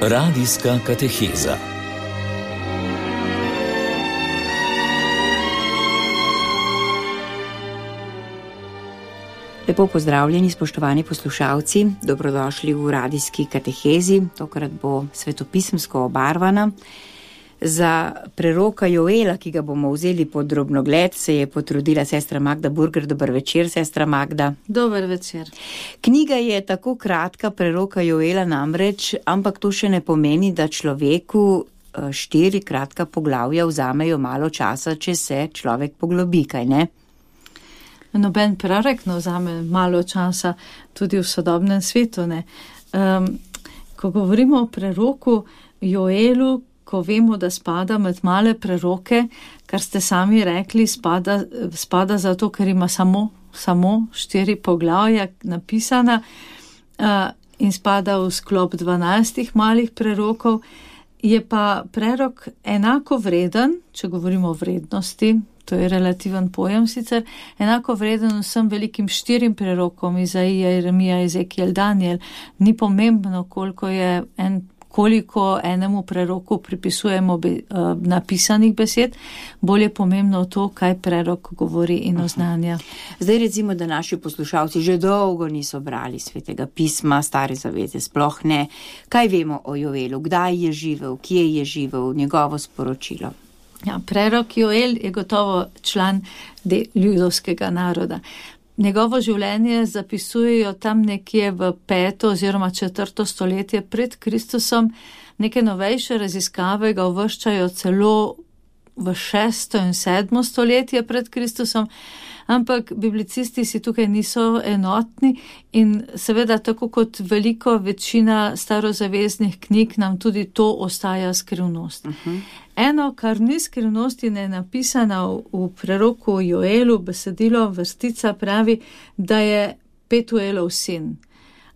Radijska kateheza. Lepo pozdravljeni, spoštovani poslušalci, dobrodošli v radijski katehezi. Tokrat bo svetopisemsko obarvana. Za preroka Joela, ki ga bomo vzeli pod drobnogled, se je potrudila sestra Magda Burger. Dober večer, sestra Magda. Dober večer. Knjiga je tako kratka, preroka Joela namreč, ampak to še ne pomeni, da človeku 4 kratka poglavja vzamejo malo časa, če se človek poglobi, kaj ne? Noben prorok ne vzame malo časa, tudi v sodobnem svetu ne. Ko govorimo o preroku Joelu, ko vemo, da spada med male preroke, kar ste sami rekli, spada zato, ker ima samo 4 poglavja napisana in spada v sklop 12 malih prerokov, je pa prerok enako vreden, če govorimo o vrednosti, to je relativen pojem sicer, enako vreden vsem velikim 4 prerokom, Izaija, Jeremija, Ezekiel, Daniel. Ni pomembno, koliko enemu preroku pripisujemo napisanih besed, bolj je pomembno to, kaj prerok govori in oznanja. Zdaj recimo, da naši poslušalci že dolgo niso brali Svetega pisma, Stare zaveze sploh ne. Kaj vemo o Joelu? Kdaj je živel? Kje je živel? Njegovo sporočilo? Ja, prerok Joel je gotovo član ljudovskega naroda. Njegovo življenje zapisujejo tam nekje v 5. oziroma 4. stoletje pred Kristusom. Neke novejše raziskave ga uvrščajo celo v 6. in 7. stoletje pred Kristusom, ampak biblicisti si tukaj niso enotni in seveda tako kot veliko večina starozaveznih knjig nam tudi to ostaja skrivnost. Eno, kar ni skrivnost in je napisana v preroku Joelu, besedilo vrstica pravi, da je Petuelov sin.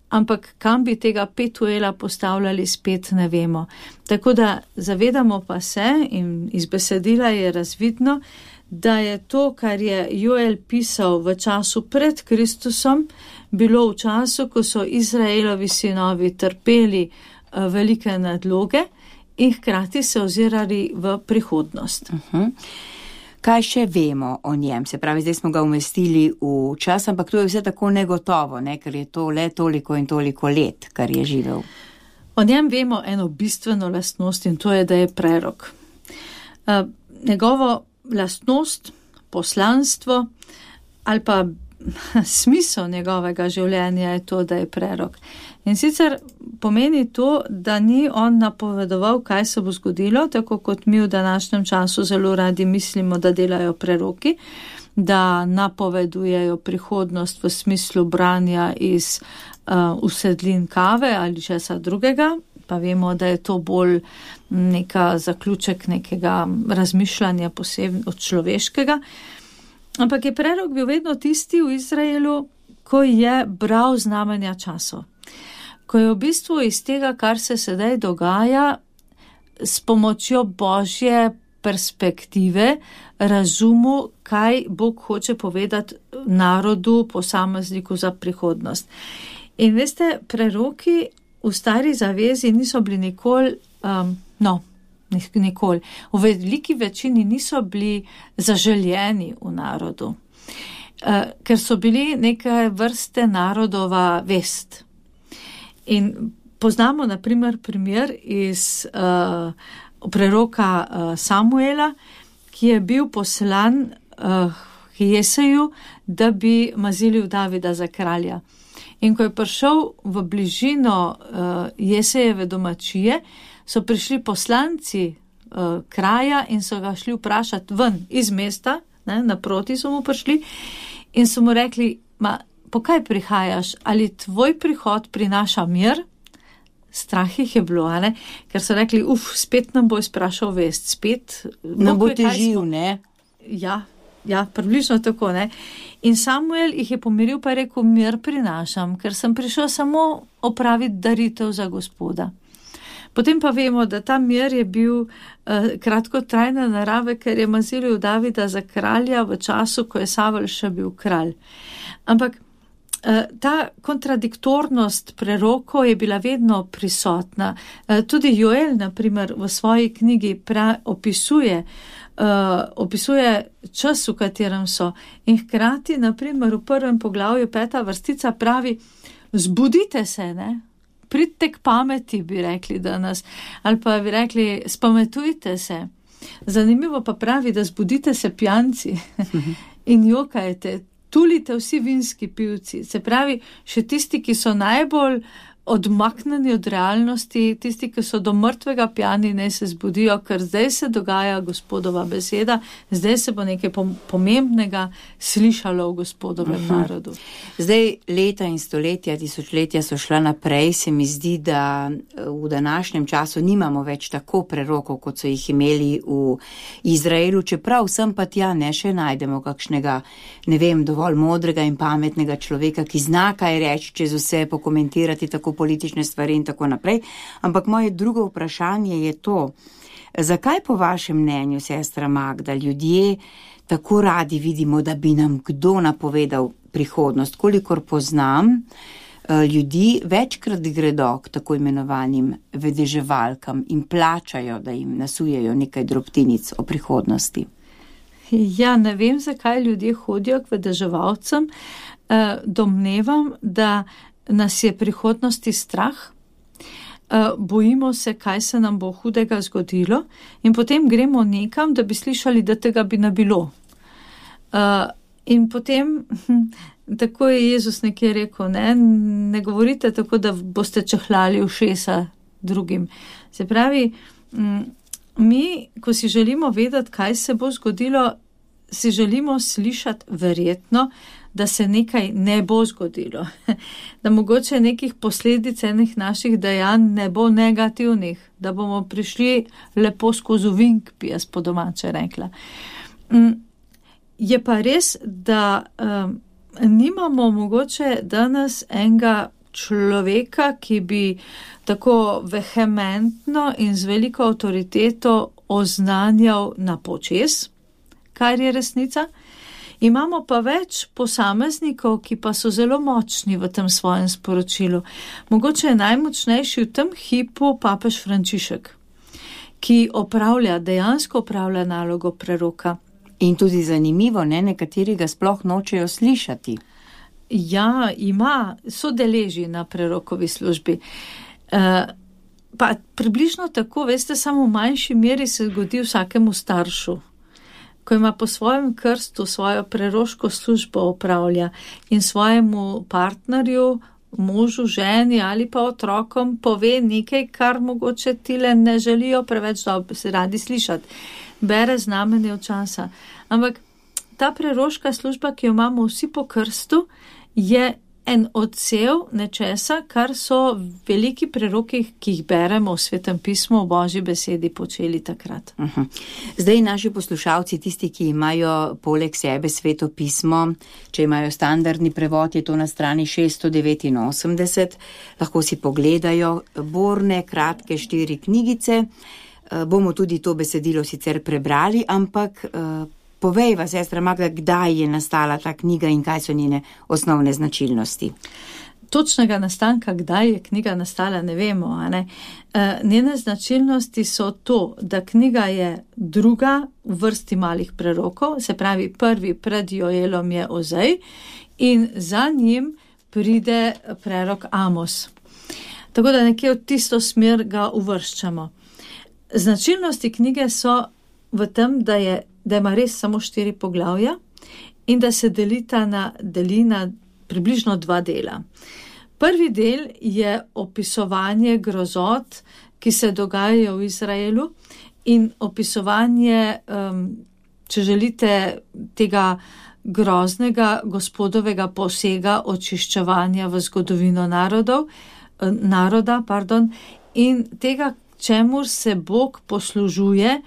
Ampak kam bi tega Petuela postavljali, spet ne vemo. Tako da zavedamo pa se, in iz besedila je razvidno, da je to, kar je Joel pisal v času pred Kristusom, bilo v času, ko so Izraelovi sinovi trpeli velike nadloge in hkrati se ozirali v prihodnost. Kaj še vemo o njem? Se pravi, zdaj smo ga umestili v čas, ampak to je vse tako negotovo, ne? Ker je to le toliko in toliko let, kar je živel. O njem vemo eno bistveno lastnost in to je, da je prerok. Njegovo lastnost, poslanstvo ali pa smisel njegovega življenja je to, da je prerok. In sicer pomeni to, da ni on napovedoval, kaj se bo zgodilo, tako kot mi v današnjem času zelo radi mislimo, da delajo preroki, da napovedujejo prihodnost v smislu branja iz usedlin kave ali česa drugega, pa vemo, da je to bolj neka zaključek nekega razmišljanja posebno od človeškega. Ampak je prerok bil vedno tisti v Izraelu, ko je bral znamenja časov. Ko je v bistvu iz tega, kar se sedaj dogaja, s pomočjo Božje perspektive razumel, kaj Bog hoče povedati narodu, posamezniku za prihodnost. In veste, preroki v Stari zavezi niso bili nikoli, v veliki večini niso bili zaželjeni v narodu, ker so bili neke vrste narodova vest. In poznamo na primer iz preroka Samuela, ki je bil poslan k Jeseju, da bi mazilil Davida za kralja. In ko je prišel v bližino Jesejeve domačije, so prišli poslanci kraja in so ga šli vprašati ven iz mesta, naproti so mu prišli in so mu rekli, po kaj prihajaš, ali tvoj prihod prinaša mir? Strah jih je bilo, ne? Ker so rekli, spet nam bo izprašal vest, spet nam bo težil, ne? Ja, približno tako, ne? In Samuel jih je pomiril, pa je rekel, mir prinašam, ker sem prišel samo opraviti daritev za Gospoda. Potem pa vemo, da ta mir je bil kratkotrajne narave, ker je mazilil Davida za kralja v času, ko je Savel še bil kralj. Ampak ta kontradiktornost prerokov je bila vedno prisotna. Tudi Joel, na primer, v svoji knjigi opisuje čas, v katerem so. In hkrati, na primer, v 1. poglavju 5. vrstica pravi, zbudite se, ne? Pridite k pameti, bi rekli danes, ali pa bi rekli, spametujte se. Zanimivo pa pravi, da zbudite se pijanci in jokajte, tulite vsi vinski pivci. Se pravi, še tisti, ki so najbolj odmaknjeni od realnosti, tisti, ki so do mrtvega pijani, naj se zbudijo, ker zdaj se dogaja Gospodova beseda, zdaj se bo nekaj pomembnega slišalo v Gospodovem narodu. Zdaj leta in stoletja, tisočletja so šla naprej, se mi zdi, da v današnjem času nimamo več tako prerokov, kot so jih imeli v Izraelu, čeprav sem pa tja ne še najdemo kakšnega, ne vem, dovolj modrega in pametnega človeka, ki zna kaj reči, čez vse pokomentirati tako politične stvari in tako naprej. Ampak moje drugo vprašanje je to, zakaj po vašem mnenju, sestra Magda, ljudje tako radi vidimo, da bi nam kdo napovedal prihodnost? Kolikor poznam, ljudi večkrat gredo k tako imenovanim vedeževalkam in plačajo, da jim nasujejo nekaj drobtinic o prihodnosti. Ja, ne vem, zakaj ljudje hodijo k vedeževalcem. Domnevam, da nas je prihodnosti strah, bojimo se, kaj se nam bo hudega zgodilo in potem gremo nekam, da bi slišali, da tega bi ne bilo. In potem, tako je Jezus nekje rekel, ne govorite tako, da boste čehlali ušesa drugim. Se pravi, mi, ko si želimo vedeti, kaj se bo zgodilo, si želimo slišati verjetno, da se nekaj ne bo zgodilo, da mogoče nekih posledic enih naših dejanj ne bo negativnih, da bomo prišli lepo skozi vink, bi jaz po domače rekla. Je pa res, da nimamo mogoče danes enega človeka, ki bi tako vehementno in z veliko avtoriteto oznanjal na počez, kar je resnica. Imamo pa več posameznikov, ki pa so zelo močni v tem svojem sporočilu. Mogoče je najmočnejši v tem hipu papež Frančišek, ki dejansko opravlja nalogo preroka. In tudi zanimivo, nekateri ga sploh nočejo slišati. Ja, sodeleži na prerokovi službi. Pa približno tako, veste, samo v manjši meri se zgodi vsakemu staršu, ko ima po svojem krstu svojo preroško službo opravlja in svojemu partnerju, možu, ženi ali pa otrokom pove nekaj, kar mogoče tile ne želijo preveč se radi slišati. Bere znamenje od časa. Ampak ta preroška služba, ki jo imamo vsi po krstu, je en odsev nečesa, kar so veliki preroki, ki jih beremo v Svetem pismu, v Božji besedi počeli takrat. Zdaj naši poslušalci, tisti, ki imajo poleg sebe Sveto pismo, če imajo standardni prevod, je to na strani 689, lahko si pogledajo borne, kratke 4 knjigice. Bomo tudi to besedilo sicer prebrali, ampak povejva, sestra Magda, kdaj je nastala ta knjiga in kaj so njene osnovne značilnosti? Točnega nastanka, kdaj je knjiga nastala, ne vemo. Njene značilnosti so to, da knjiga je druga v vrsti malih prerokov, se pravi prvi pred Joelom je Ozej in za njim pride prerok Amos. Tako da nekje v tisto smer ga uvrščamo. Značilnosti knjige so v tem, da ima res samo 4 poglavja in da se deli na približno 2 dela. Prvi del je opisovanje grozot, ki se dogajajo v Izraelu in opisovanje, če želite, tega groznega Gospodovega posega očiščevanja v zgodovino naroda, in tega, čemur se Bog poslužuje,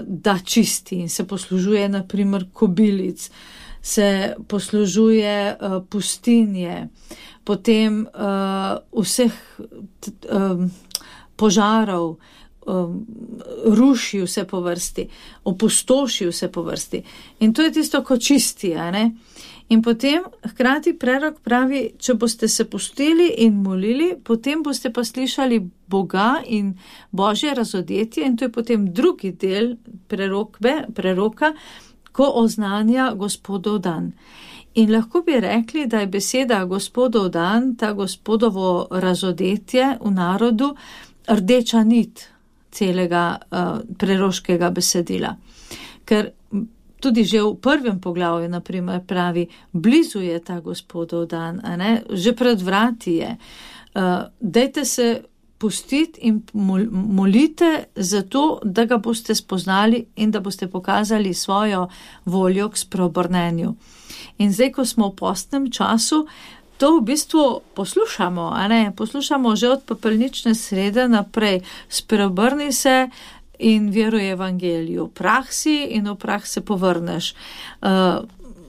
da čisti in se poslužuje na primer kobilic, se poslužuje pustinje, potem vseh požarov, ruši vse po vrsti, opustoši vse po vrsti. In to je tisto, ko čisti, In potem hkrati prerok pravi, če boste se pustili in molili, potem boste pa slišali Boga in Božje razodetje, in to je potem drugi del preroka, ko oznanja Gospodov dan. In lahko bi rekli, da je beseda Gospodov dan, ta Gospodovo razodetje v narodu, rdeča nit celega preroškega besedila. Ker tudi že v prvem poglavju, naprimer, pravi, blizu je ta Gospodov dan, a ne? Že pred vrati je. Dajte se pustiti in molite za to, da ga boste spoznali in da boste pokazali svojo voljo k spreobrnenju. In zdaj, ko smo v postnem času, to v bistvu poslušamo, a ne? Poslušamo že od pepelnične srede naprej. Spreobrni se in veruj evangeliju. Prah si in v prah se povrneš.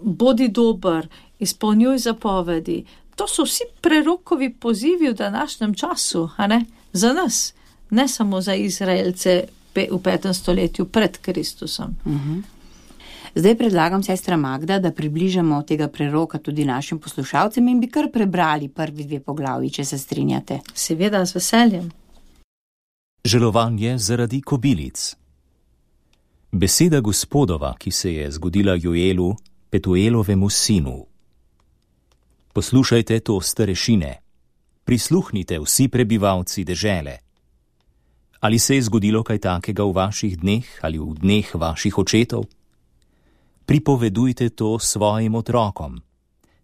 Bodi dober, izpolnjuj zapovedi. To so vsi prerokovi pozivi v današnjem času, a ne? Za nas, ne samo za Izraelce v 5. stoletju pred Kristusom. Zdaj predlagam, sestra Magda, da približamo tega preroka tudi našim poslušalcem in bi kar prebrali prvi 2 poglavji, če se strinjate. Seveda, z veseljem. Žalovanje zaradi kobilic. Beseda Gospodova, ki se je zgodila Joelu, Petuelovemu sinu. Poslušajte to, starešine, prisluhnite vsi prebivalci dežele. Ali se je zgodilo kaj takega v vaših dneh ali v dneh vaših očetov? Pripovedujte to svojim otrokom,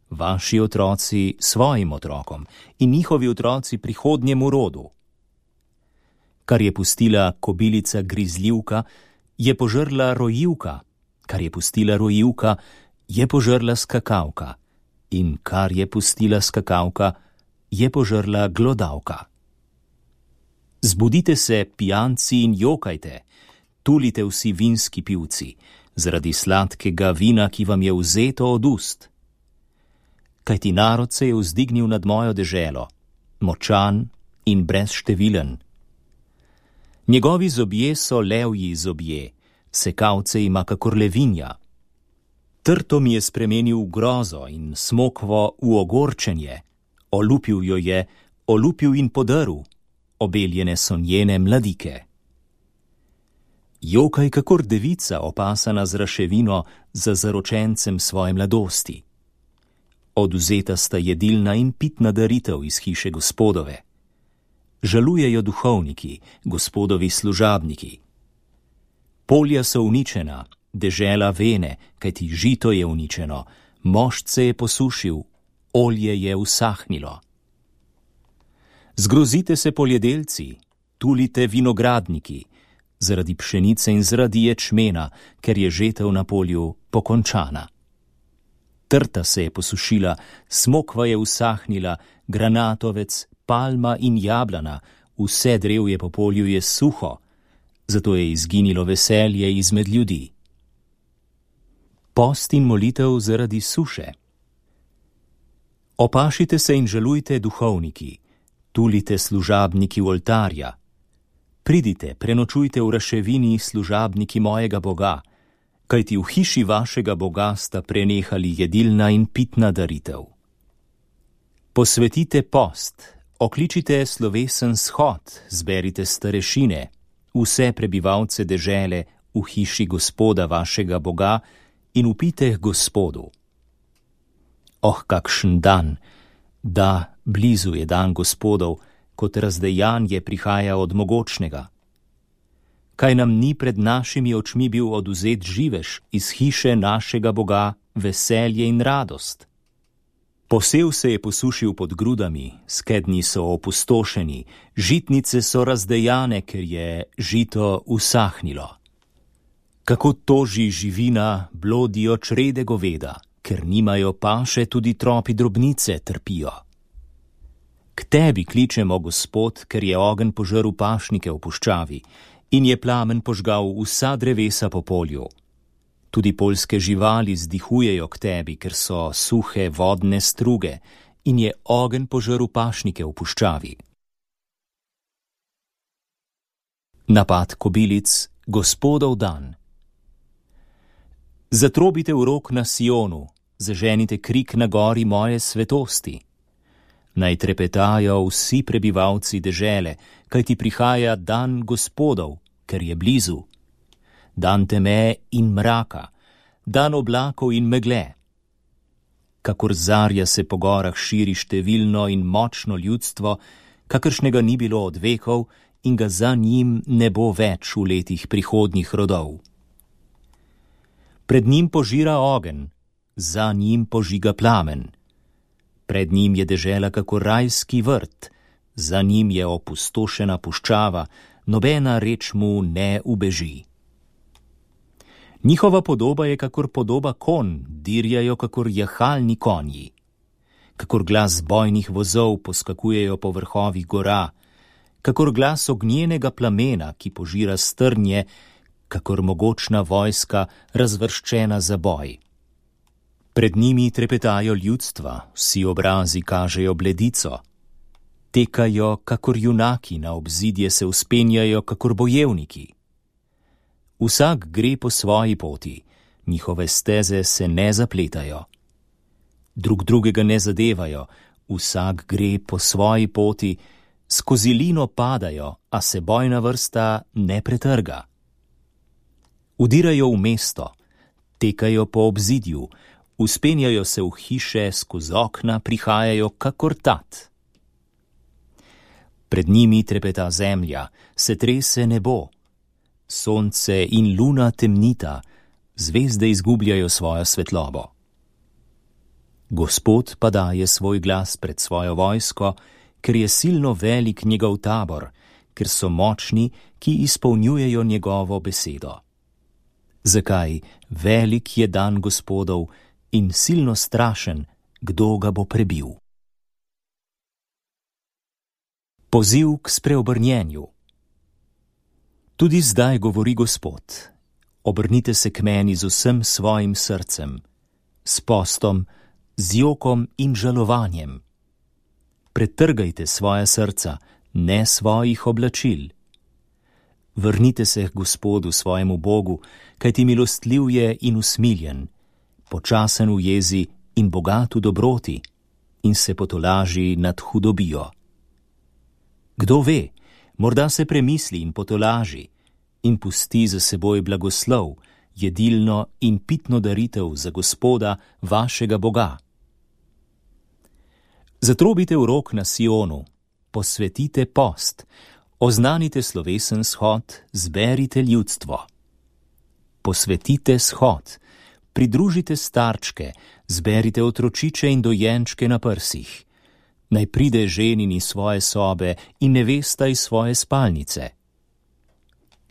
vaši otroci svojim otrokom in njihovi otroci prihodnjemu rodu. Kar je pustila kobilica grizljivka, je požrla rojivka, kar je pustila rojivka, je požrla skakavka, in kar je pustila skakavka, je požrla glodavka. Zbudite se, pijanci, in jokajte, tulite vsi vinski pivci, zaradi sladkega vina, ki vam je vzeto od ust. Kajti narod se je vzdignil nad mojo deželo, močan in brezštevilen. Njegovi zobje so levji zobje, sekavce ima kakor levinja. Trto mi je spremenil v grozo in smokvo v ogorčenje, olupil jo je, olupil in podrl, obeljene so njene mladike. Jokaj kakor devica, opasana z raševino za zaročencem svoje mladosti. Odvzeta sta jedilna in pitna daritev iz hiše Gospodove. Žalujejo duhovniki, Gospodovi služabniki. Polja so uničena, dežela vene, kajti žito je uničeno, mošt se je posušil, olje je usahnilo. Zgrozite se poljedelci, tulite vinogradniki, zaradi pšenice in zaradi ječmena, ker je žetev na polju pokončana. Trta se je posušila, smokva je usahnila, granatovec, palma in jablana, vse drevje po polju je suho, zato je izginilo veselje izmed ljudi. Post in molitev zaradi suše. Opašite se in žalujte duhovniki, tulite služabniki oltarja. Pridite, prenočujte v raševini služabniki mojega Boga, kajti v hiši vašega Boga sta prenehali jedilna in pitna daritev. Posvetite post, okličite slovesen shod, zberite starešine, vse prebivalce dežele v hiši Gospoda vašega Boga in upite k Gospodu. Oh, kakšen dan, da, blizu je dan Gospodov, kot razdejanje prihaja od mogočnega. Kaj nam ni pred našimi očmi bil odvzet živež iz hiše našega Boga, veselje in radost? Posev se je posušil pod grudami, skednji so opustošeni, žitnice so razdejane, ker je žito usahnilo. Kako toži živina, blodijo črede goveda, ker nimajo paše, tudi tropi drobnice trpijo. K tebi kličemo, Gospod, ker je ogenj požrl pašnike v puščavi in je plamen požgal vsa drevesa po polju. Tudi poljske živali zdihujejo k tebi, ker so suhe vodne struge in je ogenj požrl pašnike v puščavi. Napad kobilic, Gospodov dan. Zatrobite v rog na Sionu, zaženite krik na gori moje svetosti. Naj trepetajo vsi prebivalci dežele, kajti prihaja dan Gospodov, ker je blizu. Dan teme in mraka, dan oblakov in megle. Kakor zarja se po gorah širi številno in močno ljudstvo, kakršnega ni bilo od vekov in ga za njim ne bo več v letih prihodnjih rodov. Pred njim požira ogenj, za njim požiga plamen. Pred njim je dežela kakor rajski vrt, za njim je opustošena puščava, nobena reč mu ne ubeži. Njihova podoba je kakor podoba konj, dirjajo kakor jahalni konji. Kakor glas bojnih vozov poskakujejo po vrhovih gora, kakor glas ognjenega plamena, ki požira strnje, kakor mogočna vojska razvrščena za boj. Pred njimi trepetajo ljudstva, vsi obrazi kažejo bledico. Tekajo kakor junaki, na obzidje se vzpenjajo kakor bojevniki. Vsak gre po svoji poti, njihove steze se ne zapletajo. Drug drugega ne zadevajo, vsak gre po svoji poti, skozi lino padajo, a se bojna vrsta ne pretrga. Udirajo v mesto, tekajo po obzidju, vzpenjajo se v hiše, skozi okna prihajajo kakor tat. Pred njimi trepeta zemlja, se trese nebo. Sonce in luna temnita, zvezde izgubljajo svojo svetlobo. Gospod pa daje svoj glas pred svojo vojsko, ker je silno velik njegov tabor, ker so močni, ki izpolnjujejo njegovo besedo. Zakaj velik je dan Gospodov in silno strašen, kdo ga bo prebil? Poziv k spreobrnjenju. Tudi zdaj govori Gospod, obrnite se k meni z vsem svojim srcem, s postom, z jokom in žalovanjem. Pretrgajte svoja srca, ne svojih oblačil. Vrnite se k Gospodu svojemu Bogu, kajti milostljiv je in usmiljen, počasen v jezi in bogat v dobroti, in se potolaži nad hudobijo. Kdo ve, morda se premisli in potolaži in pusti za seboj blagoslov, jedilno in pitno daritev za Gospoda, vašega Boga. Zatrobite v rog na Sionu, posvetite post, oznanite slovesen shod, zberite ljudstvo. Posvetite shod, pridružite starčke, zberite otročiče in dojenčke na prsih. Naj pride ženin iz svoje sobe in nevesta iz svoje spalnice.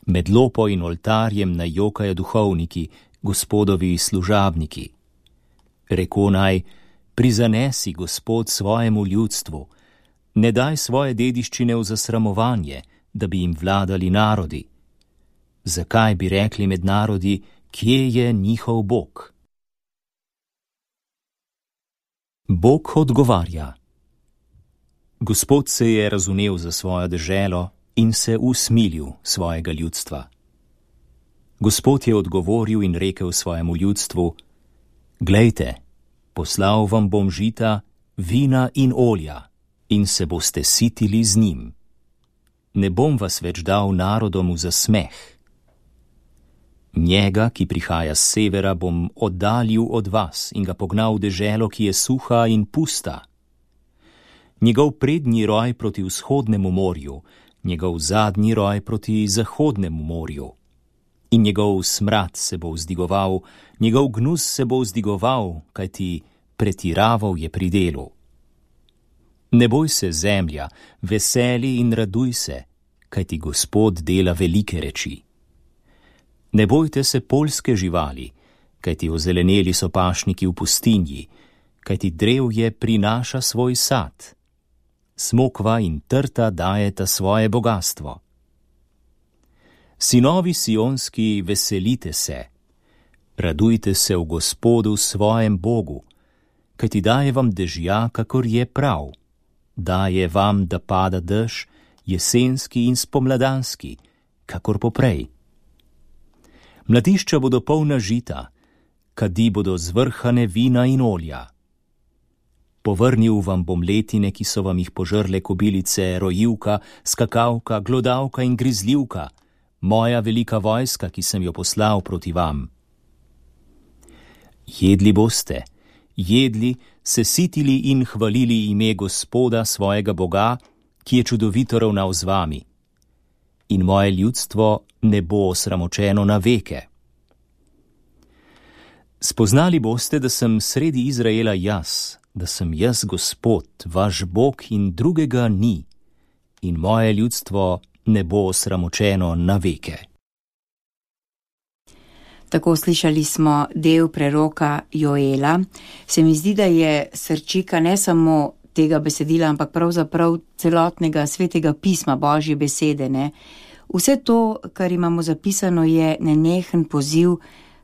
Med lopo in oltarjem naj jokajo duhovniki, Gospodovi služabniki. Reko naj, prizanesi Gospod svojemu ljudstvu, ne daj svoje dediščine v zasramovanje, da bi jim vladali narodi. Zakaj bi rekli med narodi, kje je njihov Bog? Bog odgovarja. Gospod se je razumel za svojo deželo in se usmilil svojega ljudstva. Gospod je odgovoril in rekel svojemu ljudstvu: Glejte, poslal vam bom žita, vina in olja, in se boste sitili z njim. Ne bom vas več dal narodom v zasmeh. Njega, ki prihaja s severa, bom oddaljil od vas in ga pognal v deželo, ki je suha in pusta. Njegov prednji roj proti vzhodnemu morju, njegov zadnji roj proti zahodnemu morju. In njegov smrad se bo vzdigoval, njegov gnus se bo vzdigoval, kajti pretiraval je pri delu. Ne boj se, zemlja, veseli in raduj se, kajti Gospod dela velike reči. Ne bojte se poljske živali, kajti ozeleneli so pašniki v pustinji, kajti drevje prinaša svoj sad. Smokva in trta dajeta svoje bogastvo. Sinovi sionski, veselite se, radujte se v Gospodu svojem Bogu, kajti daje vam dežja, kakor je prav, daje vam, da pada dež, jesenski in spomladanski, kakor poprej. Mladišča bodo polna žita, kadi bodo zvrhane vina in olja. Povrnil vam bom letine, ki so vam jih požrle kobilice, rojivka, skakavka, glodavka in grizljivka, moja velika vojska, ki sem jo poslal proti vam. Jedli boste, jedli, se sitili in hvalili ime Gospoda svojega Boga, ki je čudovito ravnal z vami. In moje ljudstvo ne bo osramočeno na veke. Spoznali boste, da sem sredi Izraela jaz, da sem jaz Gospod, vaš Bog in drugega ni, in moje ljudstvo ne bo osramočeno na veke. Tako slišali smo del preroka Joela. Se mi zdi, da je srčika ne samo tega besedila, ampak pravzaprav celotnega svetega pisma, Božje besede, ne? Vse to, kar imamo zapisano, je nenehen poziv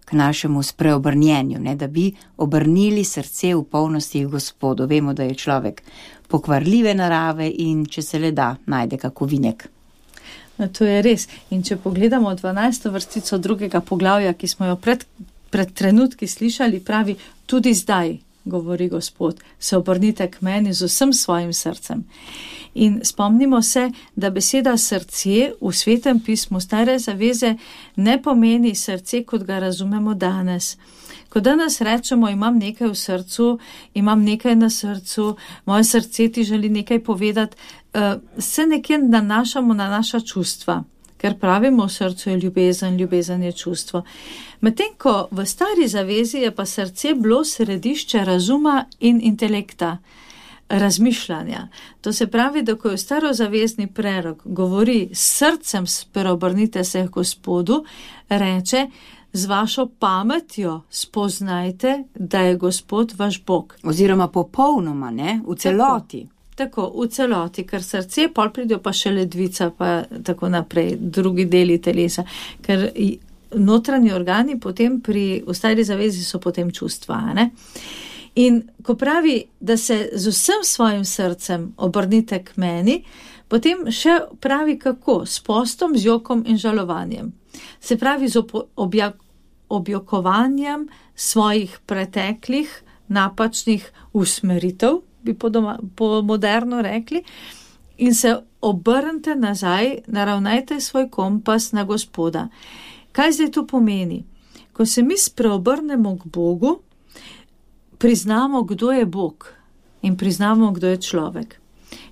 k našemu spreobrnjenju, ne? Da bi obrnili srce v polnosti Gospodu. Vemo, da je človek pokvarljive narave in če se le da, najde kak ovinek. To je res. In če pogledamo 12. vrstico 2. poglavja, ki smo jo pred trenutki slišali, pravi, tudi zdaj, govori Gospod, se obrnite k meni z vsem svojim srcem. In spomnimo se, da beseda srce v Svetem pismu Stare zaveze ne pomeni srce, kot ga razumemo danes. Ko danes rečemo, imam nekaj v srcu, imam nekaj na srcu, moje srce ti želi nekaj povedati, se nekje nanašamo na naša čustva, ker pravimo, v srcu je ljubezen, ljubezen je čustvo. Medtem ko v Stari zavezi je pa srce bilo središče razuma in intelekta, razmišljanja. To se pravi, da ko je starozavezni prerok govori s srcem spreobrnite se k Gospodu, reče, z vašo pametjo spoznajte, da je Gospod vaš Bog. Oziroma popolnoma, ne? V celoti. Tako, v celoti, ker srce, pol pridejo pa še ledvica, pa tako naprej, drugi deli telesa, ker notranji organi potem v Stari zavezi so potem čustva, ne? In ko pravi, da se z vsem svojim srcem obrnite k meni, potem še pravi kako, s postom, z jokom in žalovanjem. Se pravi z objokovanjem svojih preteklih, napačnih usmeritev, bi po moderno rekli, in se obrnite nazaj, naravnajte svoj kompas na Gospoda. Kaj zdaj to pomeni? Ko se mi spreobrnemo k Bogu, priznamo, kdo je Bog in priznamo, kdo je človek.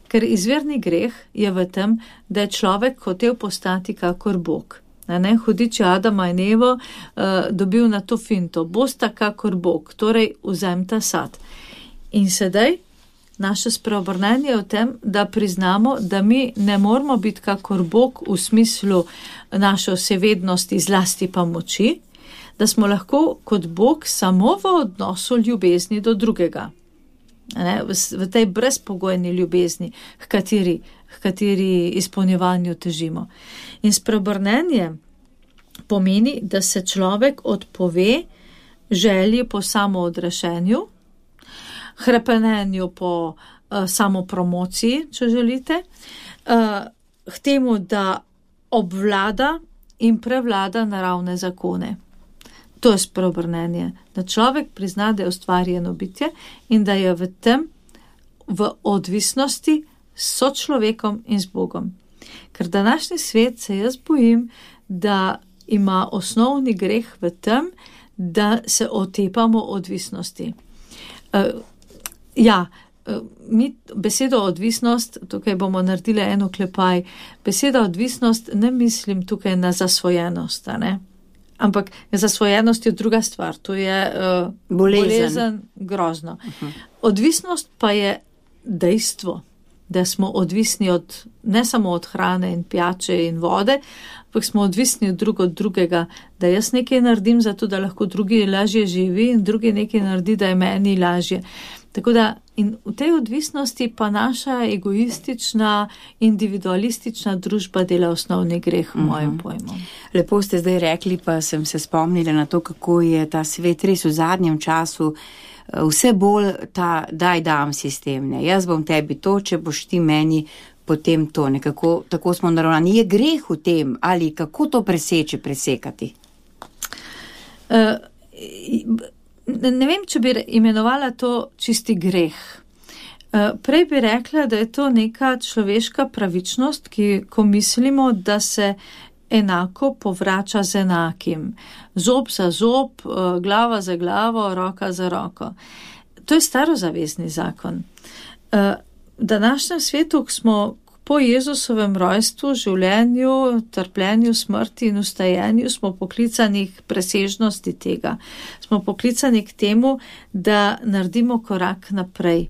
Ker izvirni greh je v tem, da je človek hotel postati kakor Bog. Hudič Adama in Evo dobil na to finto, bosta kakor Bog, torej vzemta sad. In sedaj naše spreobrnenje je v tem, da priznamo, da mi ne moramo biti kakor Bog v smislu naše vsevednosti, zlasti pa moči, da smo lahko kot Bog samo v odnosu ljubezni do drugega. V tej brezpogojni ljubezni, h kateri izpolnjevanju težimo. In spreobrnenje pomeni, da se človek odpove želji po samoodrešenju, hrepenenju po samopromociji, če želite, k temu, da obvlada in prevlada naravne zakone. To je spreobrnenje, da človek prizna, da je ustvarjeno bitje in da je v tem v odvisnosti s sočlovekom in z Bogom. Ker današnji svet, se jaz bojim, da ima osnovni greh v tem, da se otepamo odvisnosti. Mi besedo odvisnost, tukaj bomo naredili eno klepaj, beseda odvisnost ne mislim tukaj na zasvojenost, ne? Ampak zasvojenost je druga stvar, to je bolezen, grozno. Odvisnost pa je dejstvo, da smo odvisni ne samo od hrane in pijače in vode, ampak smo odvisni drug od drugega, da jaz nekaj naredim zato, da lahko drugi lažje živi in drugi nekaj naredi, da je meni lažje. Tako da in v tej odvisnosti pa naša egoistična, individualistična družba dela osnovni greh v mojem pojmu. Lepo ste zdaj rekli, pa sem se spomnila na to, kako je ta svet res v zadnjem času vse bolj ta daj-dam sistem. Ne? Jaz bom tebi to, če boš ti meni potem to. Nekako, tako smo naravnani. Je greh v tem ali kako to presekati? ne vem, če bi imenovala to čisti greh. Prej bi rekla, da je to neka človeška pravičnost, ko mislimo, da se enako povrača z enakim. Zob za zob, glava za glavo, roka za roko. To je starozavezni zakon. V današnjem svetu smo po Jezusovem rojstvu, življenju, trpljenju, smrti in ustajenju smo poklicani k presežnosti tega. Smo poklicani k temu, da naredimo korak naprej.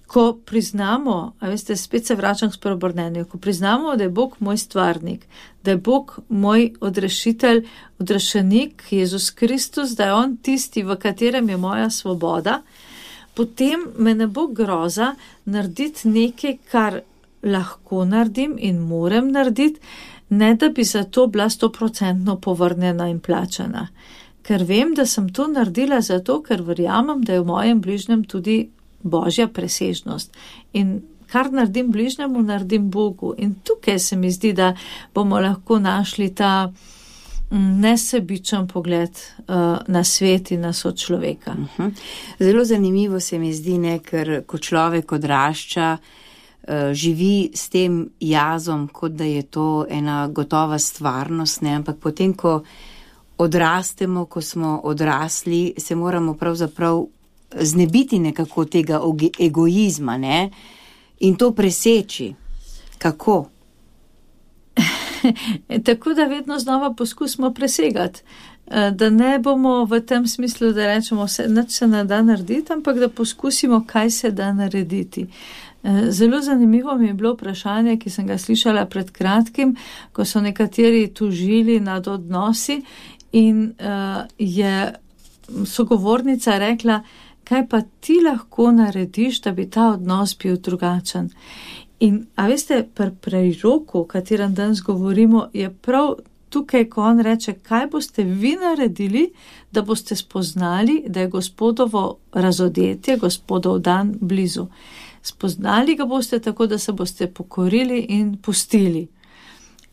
Ko priznamo, a veste, spet se vračam k spreobrnenju, ko priznamo, da je Bog moj stvarnik, da je Bog moj odrešitelj, odrešenik, Jezus Kristus, da je On tisti, v katerem je moja svoboda, potem me ne bo groza narediti nekaj, kar lahko naredim in morem narediti, ne da bi za to bila 100% povrnjena in plačana. Ker vem, da sem to naredila zato, ker verjamem, da je v mojem bližnjem tudi Božja presežnost. In kar naredim bližnjemu, naredim Bogu. In tukaj se mi zdi, da bomo lahko našli ta nesebičen pogled na svet in na sočloveka. Zelo zanimivo se mi zdi, ker ko človek odrašča, živi s tem jazom, kot da je to ena gotova stvarnost, ampak potem, ko odrastemo, ko smo odrasli, se moramo pravzaprav znebiti nekako tega egoizma, in to preseči. Kako? Tako da vedno znova poskusimo presegati, da ne bomo v tem smislu, da rečemo, nič se ne da narediti, ampak da poskusimo, kaj se da narediti. Zelo zanimivo mi je bilo vprašanje, ki sem ga slišala pred kratkim, ko so nekateri tužili nad odnosi in je sogovornica rekla, kaj pa ti lahko narediš, da bi ta odnos bil drugačen. In, a veste, pri preroku, o katerem danes govorimo, je prav tukaj, ko on reče, kaj boste vi naredili, da boste spoznali, da je Gospodovo razodetje, Gospodov dan blizu. Spoznali ga boste tako, da se boste pokorili in pustili.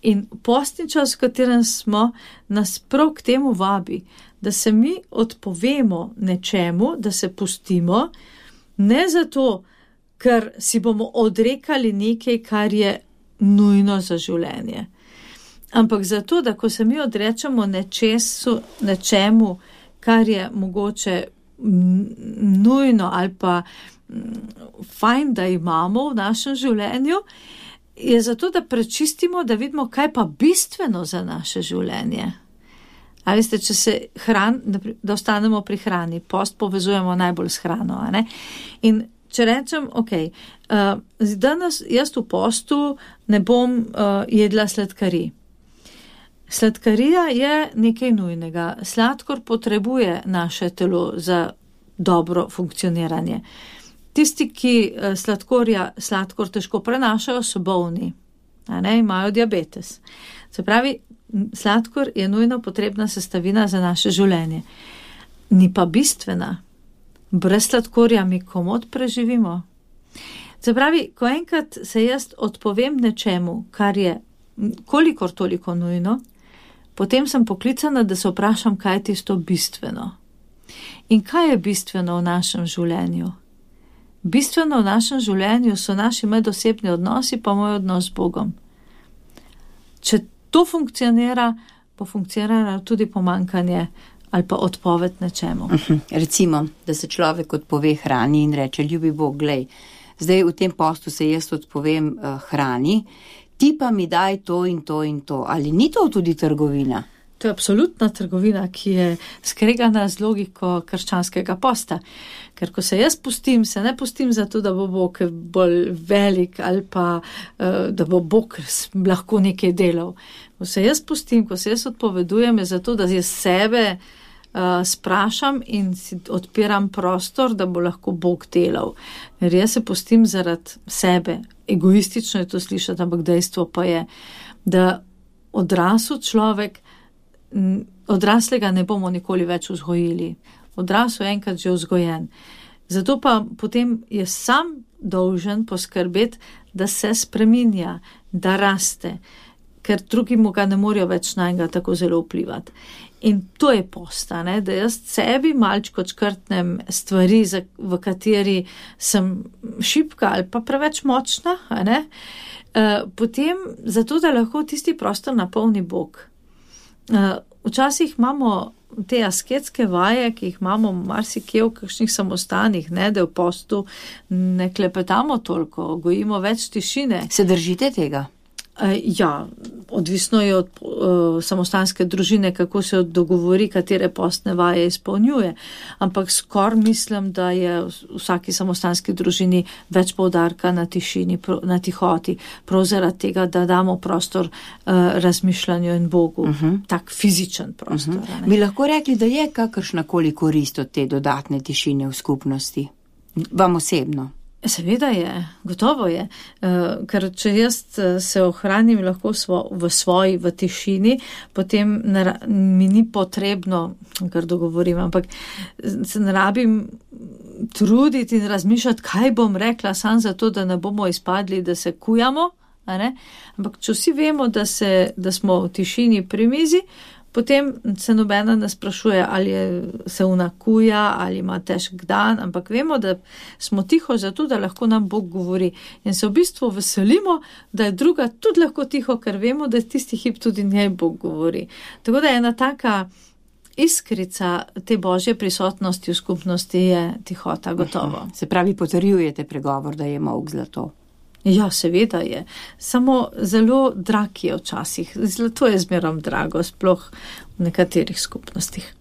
In postni čas, v katerem smo, nas prav k temu vabi, da se mi odpovemo nečemu, da se pustimo, ne zato, ker si bomo odrekali nekaj, kar je nujno za življenje. Ampak zato, da ko se mi odrečemo nečemu, kar je mogoče nujno ali pa fajn, da imamo v našem življenju, je zato, da prečistimo, da vidimo, kaj pa bistveno za naše življenje. A veste, če se da ostanemo pri hrani, post povezujemo najbolj s hrano, a ne? In če rečem, danes jaz v postu ne bom jedla sladkarij. Sladkarija je nekaj nujnega. Sladkor potrebuje naše telo za dobro funkcioniranje. Tisti, ki sladkor težko prenašajo, so bolni, imajo diabetes. Se pravi, sladkor je nujno potrebna sestavina za naše življenje. Ni pa bistvena. Brez sladkorja mi komot preživimo. Se pravi, ko enkrat se jaz odpovem nečemu, kar je kolikor toliko nujno, potem sem poklicana, da se vprašam, kaj je tisto bistveno. In kaj je bistveno v našem življenju? Bistveno v našem življenju so naši medosebni odnosi, pa moj odnos z Bogom. Če to funkcionira, bo funkcioniralo tudi pomanjkanje ali pa odpoved nečemu. Recimo, da se človek odpove hrani in reče, ljubi Bog, glej, zdaj v tem postu se jaz odpovem hrani, ti pa mi daj to in to in to. Ali ni to tudi trgovina? To je absolutna trgovina, ki je skregana z logiko krščanskega posta. Ker ko se jaz pustim, se ne pustim zato, da bo Bog bolj velik ali pa da bo Bog lahko nekaj delal. Ko se jaz pustim, ko se jaz odpovedujem, je zato, da jaz sebe sprašam in si odpiram prostor, da bo lahko Bog delal. Ker jaz se pustim zaradi sebe. Egoistično je to slišati, ampak dejstvo pa je, da odrasel človek, odraslega ne bomo nikoli več vzgojili. Odrasel je enkrat že vzgojen. Zato pa potem je sam dolžen poskrbeti, da se spreminja, da raste, ker drugi mu ga ne morejo več na njega tako zelo vplivati. In to je post, da jaz sebi malčko čkrtnem stvari, v kateri sem šibka ali pa preveč močna, potem zato, da lahko tisti prostor napolni Bog. Včasih imamo te asketske vaje, ki jih imamo marsikje v kakšnih samostanih, da v postu ne klepetamo toliko, gojimo več tišine. Se držite tega? Ja, odvisno je od samostanske družine, kako se dogovori, katere postne vaje izpolnjuje. Ampak skor mislim, da je v vsaki samostanski družini več poudarka na tišini, na tihoti, prav zaradi tega, da damo prostor razmišljanju in Bogu, tak fizičen prostor. Bi lahko rekli, da je kakršnakoli korist od te dodatne tišine v skupnosti? Vam osebno? Seveda je, gotovo je, ker če jaz se ohranim lahko v tišini, potem mi ni potrebno, kar dogovorim, ampak se ne rabim truditi in razmišljati, kaj bom rekla, sam zato, da ne bomo izpadli, da se kujamo, ampak če vsi vemo, da smo v tišini pri mizi, potem se nobena ne sprašuje, ali se unakuja, ali ima težek dan, ampak vemo, da smo tiho zato, da lahko nam Bog govori. In se v bistvu veselimo, da je druga tudi lahko tiho, ker vemo, da tisti hip tudi njej Bog govori. Tako da ena taka iskrica te Božje prisotnosti v skupnosti je tihota, gotovo. Se pravi, potrjujete pregovor, da je molk zlato. Ja, seveda je. Samo zelo drag je včasih. Zlato je zmerom drago, sploh v nekaterih skupnostih.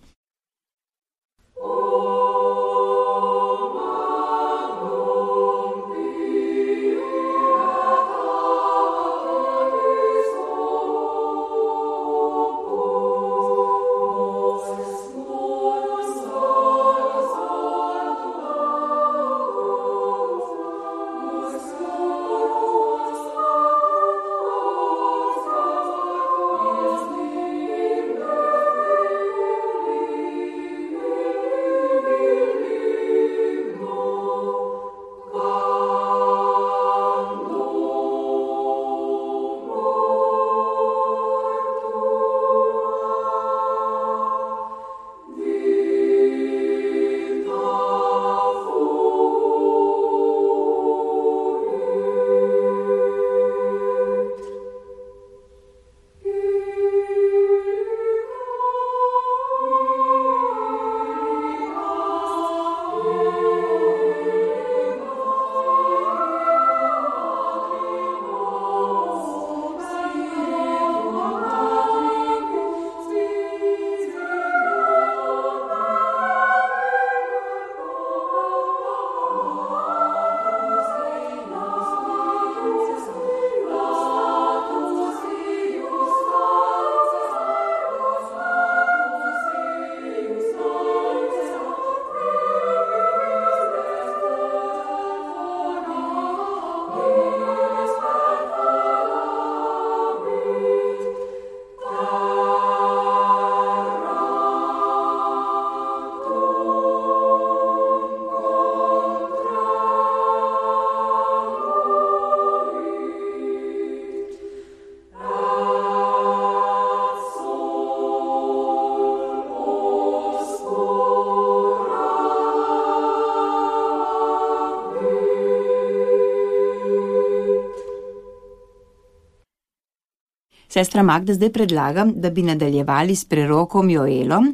Sestra Magda, zdaj predlagam, da bi nadaljevali s prerokom Joelom.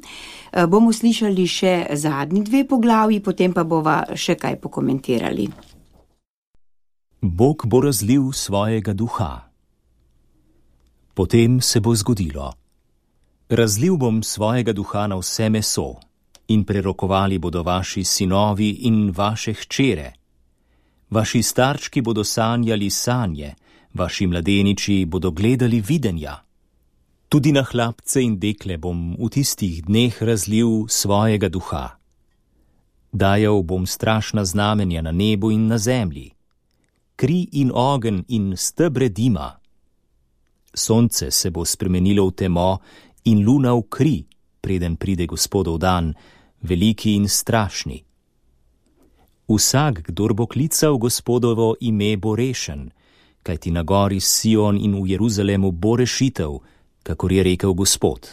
Bomo slišali še zadnji 2 poglavji, potem pa bova še kaj pokomentirali. Bog bo razlil svojega duha. Potem se bo zgodilo. Razlil bom svojega duha na vse meso in prerokovali bodo vaši sinovi in vaše hčere. Vaši starčki bodo sanjali sanje, vaši mladeniči bodo gledali videnja. Tudi na hlapce in dekle bom v tistih dneh razlil svojega duha. Dajal bom strašna znamenja na nebu in na zemlji, kri in ogenj in stebre dima. Sonce se bo spremenilo v temo in luna v kri, preden pride Gospodov dan, veliki in strašni. Vsak, kdor bo klical Gospodovo ime, bo rešen, kajti na gori Sion in v Jeruzalemu bo rešitev, kakor je rekel Gospod.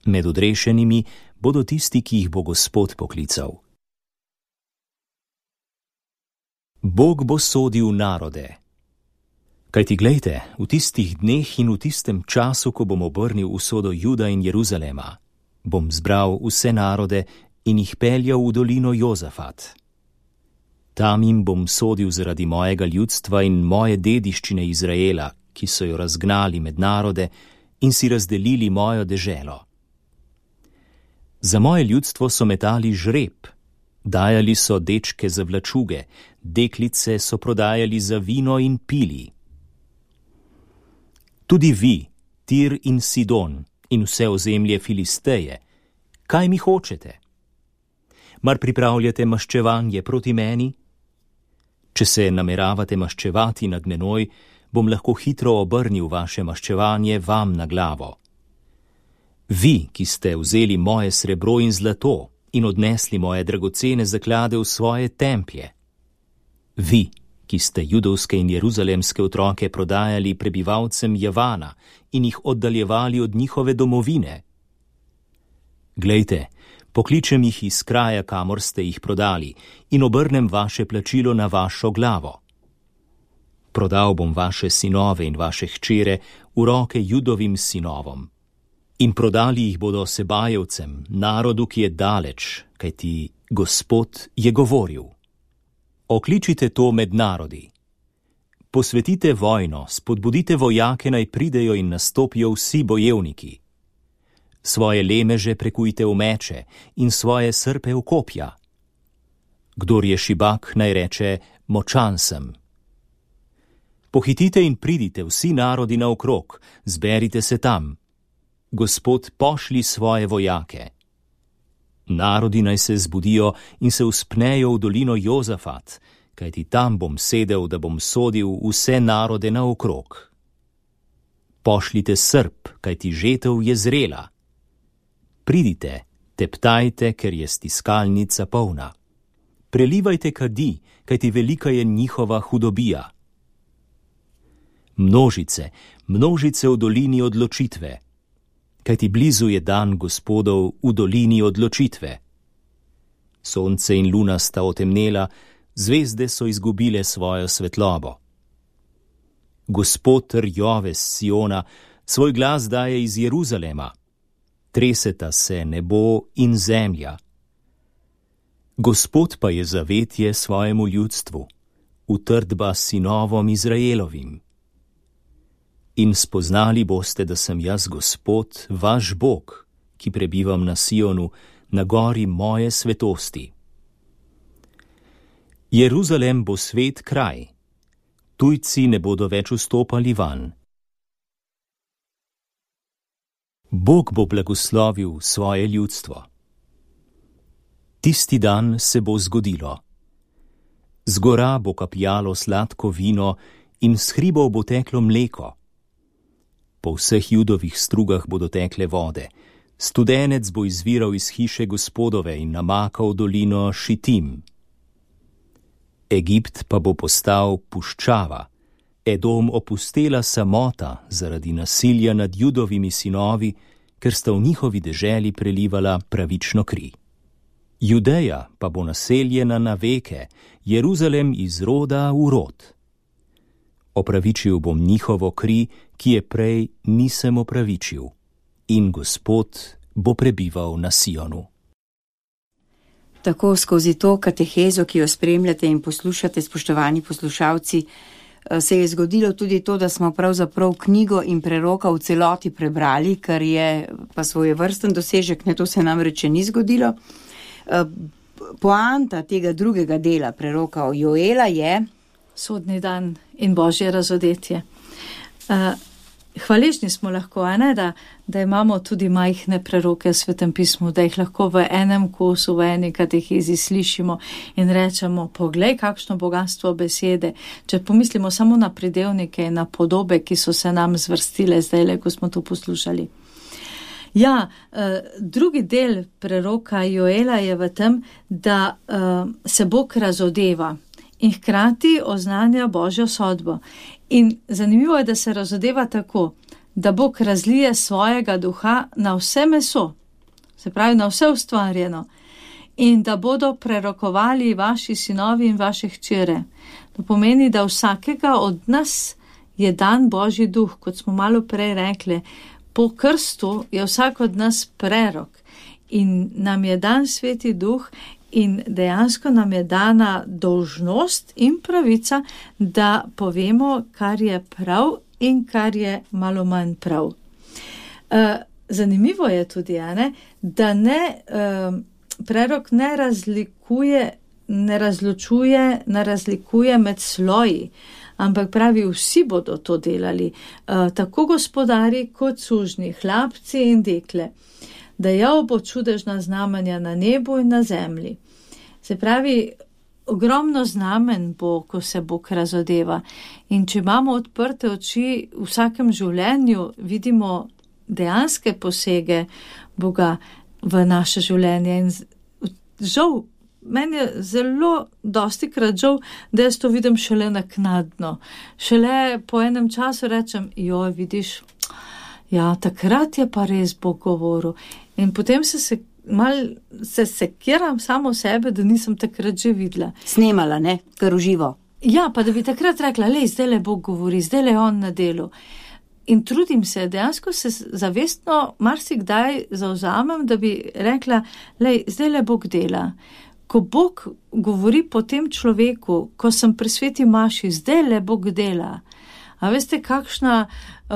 Med odrešenimi bodo tisti, ki jih bo Gospod poklical. Bog bo sodil narode. Kajti glejte, v tistih dneh in v tistem času, ko bom obrnil usodo Juda in Jeruzalema, bom zbral vse narode in jih peljal v dolino Jozafat. Tam jim bom sodil zaradi mojega ljudstva in moje dediščine Izraela, ki so jo razgnali med narode in si razdelili mojo deželo. Za moje ljudstvo so metali žreb, dajali so dečke za vlačuge, deklice so prodajali za vino in pili. Tudi vi, Tir in Sidon in vse ozemlje Filisteje, kaj mi hočete? Mar pripravljate maščevanje proti meni? Če se nameravate maščevati nad menoj, bom lahko hitro obrnil vaše maščevanje vam na glavo. Vi, ki ste vzeli moje srebro in zlato in odnesli moje dragocene zaklade v svoje templje. Vi, ki ste judovske in jeruzalemske otroke prodajali prebivalcem Javana in jih oddaljevali od njihove domovine. Glejte, pokličem jih iz kraja, kamor ste jih prodali, in obrnem vaše plačilo na vašo glavo. Prodal bom vaše sinove in vaše hčere v roke judovim sinovom. In prodali jih bodo Sebajevcem, narodu, ki je daleč, kajti Gospod je govoril. Okličite to med narodi. Posvetite vojno, spodbudite vojake, naj pridejo in nastopijo vsi bojevniki. Svoje lemeže prekujte v meče in svoje srpe v kopja. Kdor je šibak, naj reče, močan sem. Pohitite in pridite vsi narodi naokrog, zberite se tam. Gospod pošlji svoje vojake. Narodi naj se zbudijo in se vzpnejo v dolino Jozafat, kajti tam bom sedel, da bom sodil vse narode naokrog. Pošljite srp, kajti žetev je zrela. Pridite, teptajte, ker je stiskalnica polna. Prelivajte kadi, kajti velika je njihova hudobija. Množice, množice v dolini odločitve, kajti blizu je dan Gospodov v dolini odločitve. Sonce in luna sta otemnela, zvezde so izgubile svojo svetlobo. Gospod rjove s Siona, svoj glas daje iz Jeruzalema. Treseta se nebo in zemlja. Gospod pa je zavetje svojemu ljudstvu, utrdba sinovom Izraelovim. In spoznali boste, da sem jaz Gospod, vaš Bog, ki prebivam na Sionu, na gori moje svetosti. Jeruzalem bo svet kraj, tujci ne bodo več vstopali van. Bog bo blagoslovil svoje ljudstvo. Tisti dan se bo zgodilo. Z gora bo kapljalo sladko vino in s hribov bo teklo mleko. Po vseh judovih strugah bodo tekle vode. Studenec bo izviral iz hiše Gospodove in namakal dolino Šitim. Egipt pa bo postal puščava, Edom opustela samota zaradi nasilja nad judovimi sinovi, ker sta v njihovi deželi prelivala pravično kri. Judeja pa bo naseljena na veke, Jeruzalem iz roda v rod. Opravičil bom njihovo kri, ki je prej nisem opravičil, in Gospod bo prebival na Sionu. Tako skozi to katehezo, ki jo spremljate in poslušate, spoštovani poslušalci, se je zgodilo tudi to, da smo pravzaprav knjigo in preroka v celoti prebrali, kar je pa svojevrsten dosežek, ne, to se nam reče ni zgodilo. Poanta tega drugega dela preroka Joela je sodni dan in božje razodetje. Hvaležni smo lahko, da imamo tudi majhne preroke v Svetem pismu, da jih lahko v enem kosu, v eni katehezi slišimo in rečemo, poglej, kakšno bogatstvo besede. Če pomislimo samo na pridevnike in na podobe, ki so se nam zvrstile zdajle, ko smo to poslušali. Ja, drugi del preroka Joela je v tem, da se Bog razodeva in hkrati oznanja Božjo sodbo. In zanimivo je, da se razodeva tako, da Bog razlije svojega duha na vse meso, se pravi na vse ustvarjeno, in da bodo prerokovali vaši sinovi in vaše hčere. To pomeni, da vsakega od nas je dan Božji duh, kot smo malo prej rekli. Po krstu je vsak od nas prerok in nam je dan Sveti duh in dejansko nam je dana dolžnost in pravica, da povemo, kar je prav in kar je malo manj prav. Zanimivo je tudi, da prerok ne razlikuje med sloji, ampak pravi, vsi bodo to delali, tako gospodari kot sužnji, hlapci in dekle. Dajal bo čudežna znamenja na nebu in na zemlji. Se pravi, ogromno znamen bo, ko se Bog razodeva. In če imamo odprte oči v vsakem življenju, vidimo dejanske posege Boga v naše življenje. In žal, meni je zelo dostikrat žal, da jaz to vidim šele naknadno. Šele po enem času rečem, joj, vidiš, ja, takrat je pa res Bog govoril. In potem se sekiram samo sebe, da nisem takrat že videla. Snemala, ne? Kar uživo. Ja, pa da bi takrat rekla, lej, zdaj le Bog govori, zdaj le on na delu. In trudim se, dejansko se zavestno marsikdaj zavzamem, da bi rekla, lej, zdaj le Bog dela. Ko Bog govori po tem človeku, ko sem pri sveti maši, zdaj le Bog dela. A veste, kakšna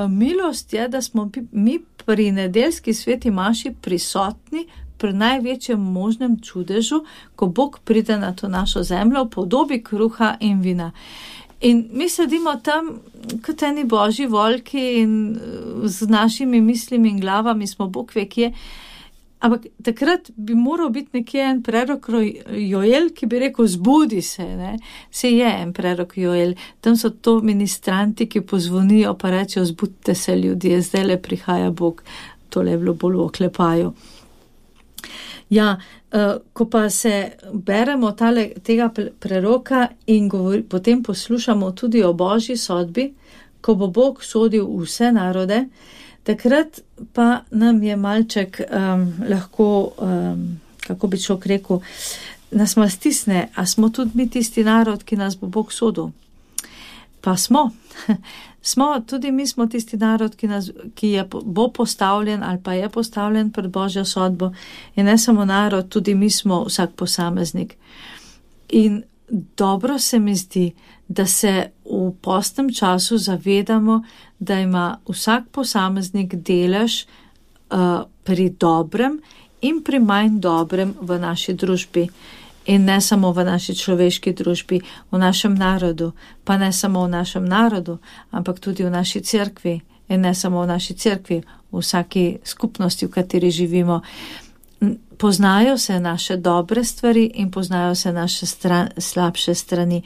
milost je, da smo mi pri nedeljski sveti maši prisotni pri največjem možnem čudežu, ko Bog pride na to našo zemljo v podobi kruha in vina. In mi sedimo tam kot eni božji volki in z našimi mislimi in glavami smo Bog ve kje. Ampak takrat bi moral biti nekje en prerok Joel, ki bi rekel, zbudi se, ne? Se je en prerok Joel. Tam so to ministranti, ki pozvonijo pa rečejo, zbudite se ljudje, zdaj le prihaja Bog. Tole je bilo bolj v oklepaju. Ja, ko pa se beremo tega preroka in potem poslušamo tudi o Božji sodbi, ko bo Bog sodil vse narode, takrat pa nam je malček lahko, kako bi človek rekel, nas malo stisne, a smo tudi mi tisti narod, ki nas bo Bog sodil. Pa smo. Tudi mi smo tisti narod, ki bo postavljen ali pa je postavljen pred Božjo sodbo. In ne samo narod, tudi mi smo vsak posameznik. In dobro se mi zdi, da se v postnem času zavedamo, da ima vsak posameznik delež pri dobrem in pri manj dobrem v naši družbi. In ne samo v naši človeški družbi, v našem narodu, pa ne samo v našem narodu, ampak tudi v naši cerkvi. In ne samo v naši cerkvi, v vsaki skupnosti, v kateri živimo. Poznajo se naše dobre stvari in poznajo se naše slabše strani.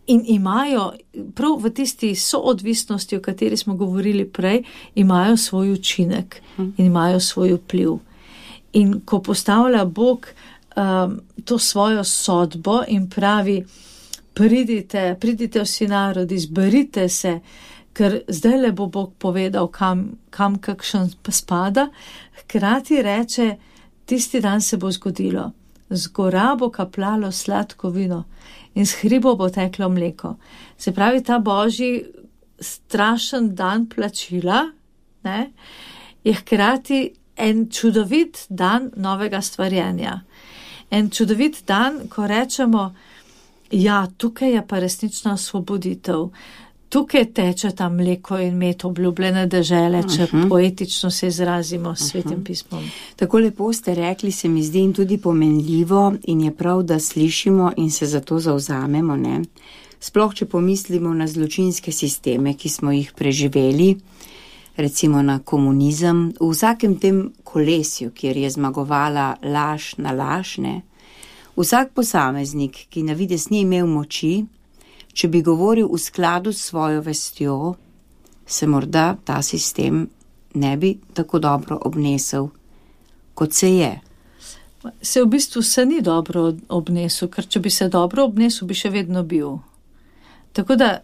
In imajo, prav v tisti soodvisnosti, o kateri smo govorili prej, imajo svoj učinek in imajo svoj vpliv. In ko postavlja Bog to svojo sodbo in pravi, pridite vsi narodi, zberite se, ker zdaj le bo Bog povedal, kam kakšen spada, hkrati reče, tisti dan se bo zgodilo. Z gora bo kaplalo sladko vino in z hribo bo teklo mleko. Se pravi, ta Božji strašen dan plačila, ne, je hkrati en čudovit dan novega stvarjenja. En čudovit dan, ko rečemo, ja, tukaj je pa resnična osvoboditev. Tukaj teče ta mleko in med obljubljene dežele, če poetično se izrazimo s Svetim pismom. Tako lepo ste rekli, se mi zdi in tudi pomenljivo in je prav, da slišimo in se za to zavzamemo, ne? Sploh, če pomislimo na zločinske sisteme, ki smo jih preživeli, recimo na komunizem, v vsakem tem kolesju, kjer je zmagovala laž na laž, ne? Vsak posameznik, ki na vides ni imel moči, če bi govoril v skladu s svojo vestjo, se morda ta sistem ne bi tako dobro obnesel, kot se je. Se v bistvu se ni dobro obnesel, ker če bi se dobro obnesel, bi še vedno bil. Tako da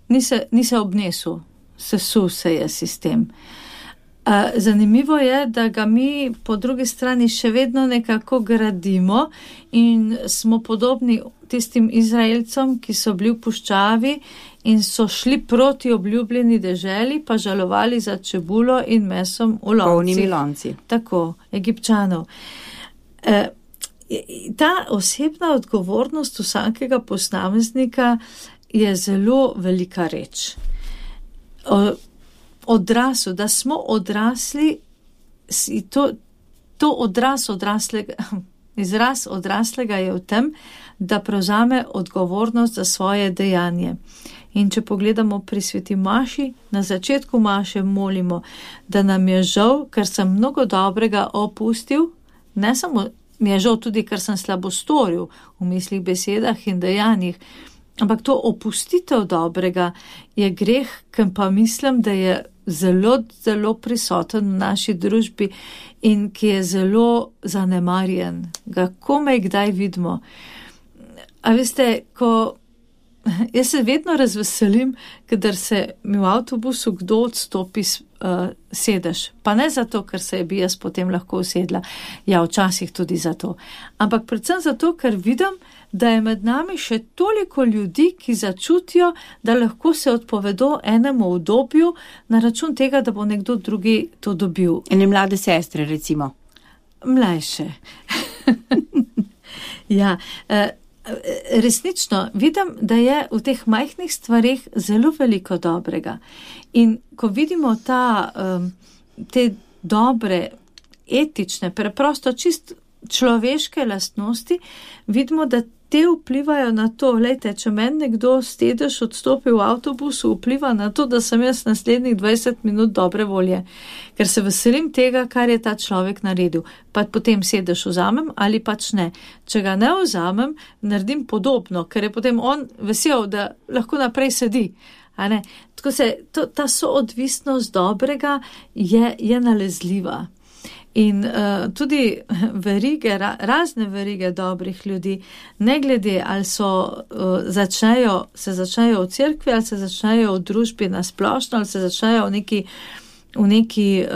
ni se obnesel, sesul se je sistem. Zanimivo je, da ga mi po drugi strani še vedno nekako gradimo in smo podobni tistim Izraelcem, ki so bili v puščavi in so šli proti obljubljeni deželi, pa žalovali za čebulo in mesom v loncih. Polnimi lonci. Tako, Egipčanov. Ta osebna odgovornost vsakega posameznika je zelo velika reč. Odrasel, da smo odrasli, to izraz odraslega je v tem, da prevzame odgovornost za svoje dejanje. In če pogledamo pri sveti maši, na začetku maše molimo, da nam je žal, ker sem mnogo dobrega opustil, ne samo mi je žal tudi, ker sem slabo storil v mislih, besedah in dejanjih, ampak to opustitev dobrega je greh, ker pa mislim, da je zelo, zelo prisoten v naši družbi in ki je zelo zanemarjen. Ga komaj kdaj vidimo. A veste, jaz se vedno razveselim, kadar se mi v avtobusu kdo odstopi sedež. Pa ne zato, ker se bi jaz potem lahko usedla. Ja, včasih tudi zato. Ampak predvsem zato, ker vidim, da je med nami še toliko ljudi, ki začutijo, da lahko se odpovedo enemu obdobju na račun tega, da bo nekdo drugi to dobil. Ene mlade sestre, recimo. Mlajše. Ja, resnično vidim, da je v teh majhnih stvarih zelo veliko dobrega. In ko vidimo te dobre, etične, preprosto čist človeške lastnosti, vidimo, da te vplivajo na to. Lejte, če meni nekdo sedež odstopi v avtobusu, vpliva na to, da sem jaz naslednjih 20 minut dobre volje, ker se veselim tega, kar je ta človek naredil. Pa potem sedež vzamem ali pač ne. Če ga ne vzamem, naredim podobno, ker je potem on vesel, da lahko naprej sedi. A ne? Tako ta soodvisnost dobrega je nalezljiva. In tudi razne verige dobrih ljudi, ne glede ali se začnejo v cerkvi, ali se začnejo v družbi nasplošno, ali se začnejo v neki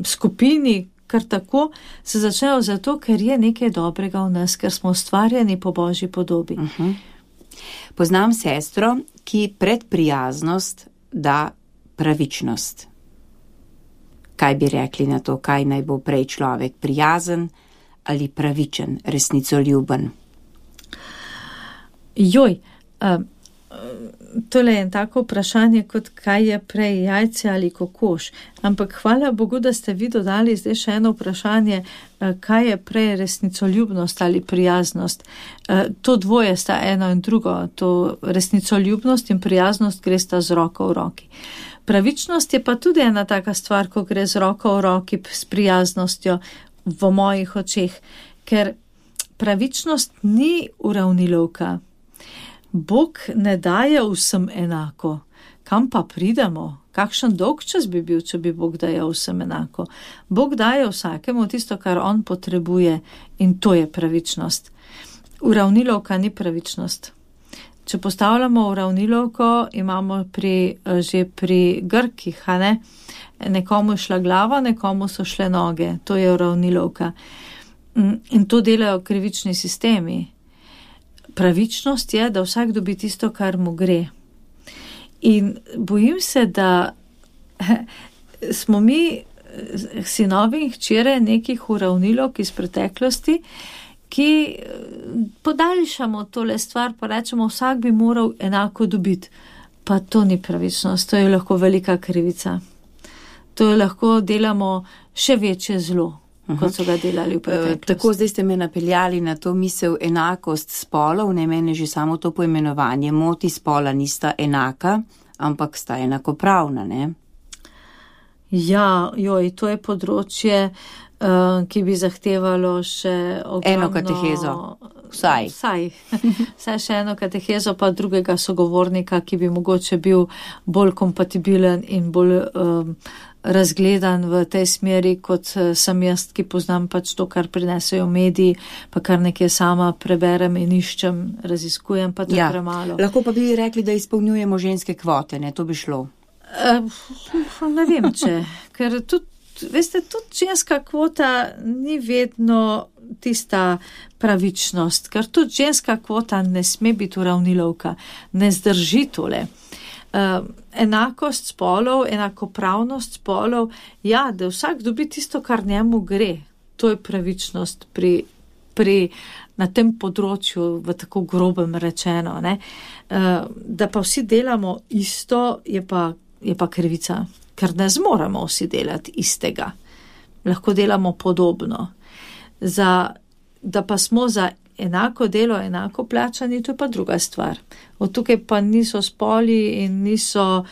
skupini, kar tako, se začnejo zato, ker je nekaj dobrega v nas, ker smo ustvarjeni po Božji podobi. Poznam sestro, ki pred prijaznost da pravičnost. Kaj bi rekli na to, kaj naj bo prej človek, prijazen ali pravičen, resnicoljuben? Tole je tako vprašanje, kot kaj je prej, jajce ali kokoš. Ampak hvala Bogu, da ste vi dodali zdaj še eno vprašanje, kaj je prej resnicoljubnost ali prijaznost. To dvoje sta eno in drugo, to resnicoljubnost in prijaznost gre sta z roko v roki. Pravičnost je pa tudi ena taka stvar, ko gre z roko v roki s prijaznostjo v mojih očeh, ker pravičnost ni uravnilovka. Bog ne daje vsem enako. Kam pa pridemo? Kakšen dolg čas bi bil, če bi Bog dajal vsem enako? Bog daje vsakemu tisto, kar on potrebuje, in to je pravičnost. Uravnilovka ni pravičnost. Če postavljamo uravnilovko, imamo že pri Grkih, a ne? Nekomu je šla glava, nekomu so šle noge. To je uravnilovka. In to delajo krivični sistemi. Pravičnost je, da vsak dobi tisto, kar mu gre. In bojim se, da smo mi sinovi in hčere nekih uravnilovk iz preteklosti, ki podaljšamo tole stvar, pa rečemo, vsak bi moral enako dobiti. Pa to ni pravičnost, to je lahko velika krivica. To je lahko delamo še večje zlo, kot so ga delali v preteklosti. Tako zdaj ste me napeljali na to misel enakost spolov, ne mene že samo to poimenovanje moti, spola nista enaka, ampak sta enakopravna, ne? Ja, to je področje, ki bi zahtevalo še ogromno... Eno katehezo, vsaj. Vsaj še eno katehezo, pa drugega sogovornika, ki bi mogoče bil bolj kompatibilen in bolj razgledan v tej smeri, kot sem jaz, ki poznam pač to, kar prinesejo mediji, pa kar nekaj sama preberem in iščem, raziskujem, pa to je premalo. Lahko pa bi rekli, da izpolnjujemo ženske kvote, ne? To bi šlo. Ne vem, ker tudi, veste, tudi ženska kvota ni vedno tista pravičnost, ker tudi ženska kvota ne sme biti uravnilovka, ne zdrži tole. Enakost spolov, enakopravnost spolov, ja, da vsak dobi tisto, kar njemu gre. To je pravičnost na tem področju, v tako grobem rečeno, ne. Da pa vsi delamo isto, je pa krivica, ker ne zmoremo vsi delati istega. Lahko delamo podobno. Da pa smo za enako delo, enako plačani, to je pa druga stvar. Od tukaj pa niso spoli in niso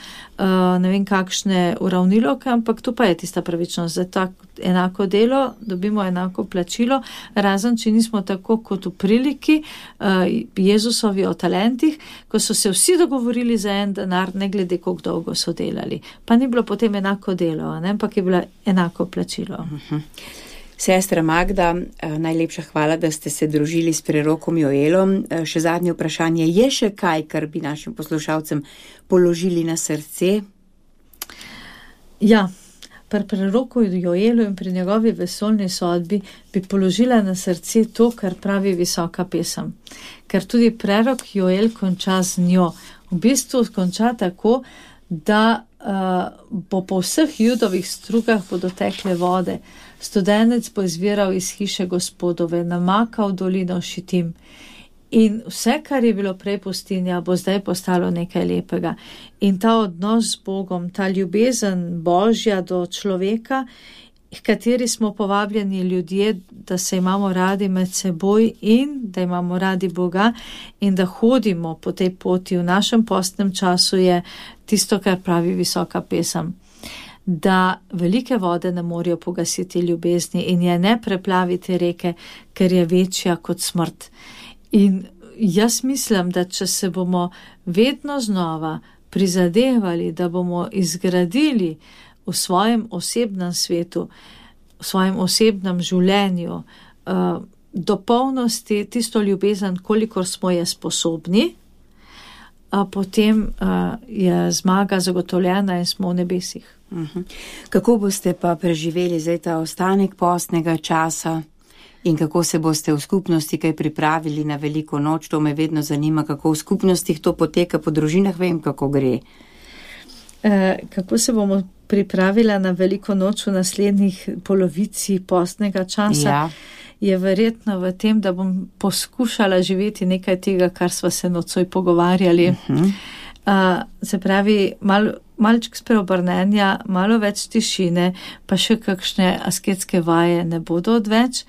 ne vem kakšne uravnilovke, ampak to pa je tista pravičnost. Za tako enako delo dobimo enako plačilo, razen če nismo tako kot v priliki Jezusovi o talentih, ko so se vsi dogovorili za en denar, ne glede koliko dolgo so delali. Pa ni bilo potem enako delo, ne? Ampak je bilo enako plačilo. Sestra Magda, najlepša hvala, da ste se družili s prerokom Joelom. Še zadnje vprašanje, je še kaj, kar bi našim poslušalcem položili na srce? Ja, pri preroku Joelu in pri njegovi vesoljni sodbi bi položila na srce to, kar pravi visoka pesem. Ker tudi prerok Joel konča z njo. V bistvu konča tako, da bo po vseh Judovih strugah bodo tekle vode. Studenec bo izviral iz hiše Gospodove, namakal dolino Šitim. In vse, kar je bilo prej pustinja, bo zdaj postalo nekaj lepega. In ta odnos z Bogom, ta ljubezen Božja do človeka, v kateri smo povabljeni ljudje, da se imamo radi med seboj in da imamo radi Boga in da hodimo po tej poti v našem postnem času, je tisto, kar pravi visoka pesem. Da velike vode ne morejo pogasiti ljubezni in je ne preplaviti reke, ker je večja kot smrt. In jaz mislim, da če se bomo vedno znova prizadevali, da bomo izgradili v svojem osebnem svetu, v svojem osebnem življenju do polnosti tisto ljubezen, kolikor smo je sposobni, potem je zmaga zagotovljena in smo v nebesih. Kako boste pa preživeli zdaj ta ostanek postnega časa in kako se boste v skupnosti kaj pripravili na veliko noč? To me vedno zanima, kako v skupnostih to poteka, po družinah vem, kako gre. Kako se bomo pripravila na veliko noč v naslednjih polovici postnega časa? Ja. Je verjetno v tem, da bom poskušala živeti nekaj tega, kar sva se nocoj pogovarjali. Se pravi, malček spreobrnenja, malo več tišine, pa še kakšne asketske vaje ne bodo odveč.